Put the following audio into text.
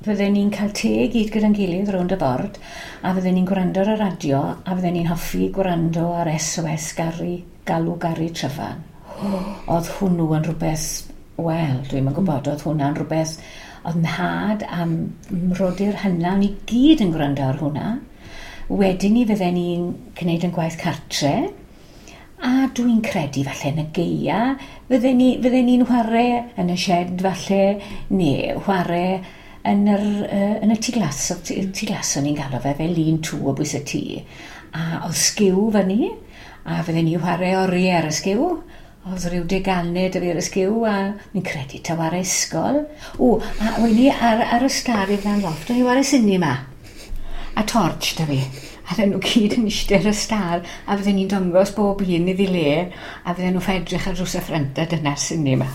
Fydden ni'n cael te i gyd gyda'n gilydd rownd y bord, a fydden ni'n gwrando ar y radio, a fydden ni'n hoffi gwrando ar SOS Gary, Galw Gary Tryfan. Oedd hwnnw yn rhywbeth, wel, dwi'm yn gwybod, oedd hwnna'n rhywbeth, oedd nhad a mrodyr hynna, ni gyd yn gwrando ar hwnna. Wedyn ni fydden ni'n gwneud yn gwaith cartre, a dwi'n credu falle yn y gaea, fydden ni'n chwarae yn y shed falle, neu chwarae yn y tŷ glas, tŷ glas o'n i'n galw fe, fel lean-to o bwys y tŷ. A oedd sgiw fyny, a fydden ni'n chwarae oriau ar y sgiw. Oedd rhyw deganau 'da fi ar y sgiw, a fi'n credu taw ar ysgol. O, a o'n i ar y stâr i flaen lofft, o'n i ware cinema. A torch 'da fi. A fydden nhw gyd yn eistedd ar y stâr, a fydden ni'n dangos bob un iddi le, a fydden nhw'n edrych ar drws y ffrynt, a dyna'r cinema.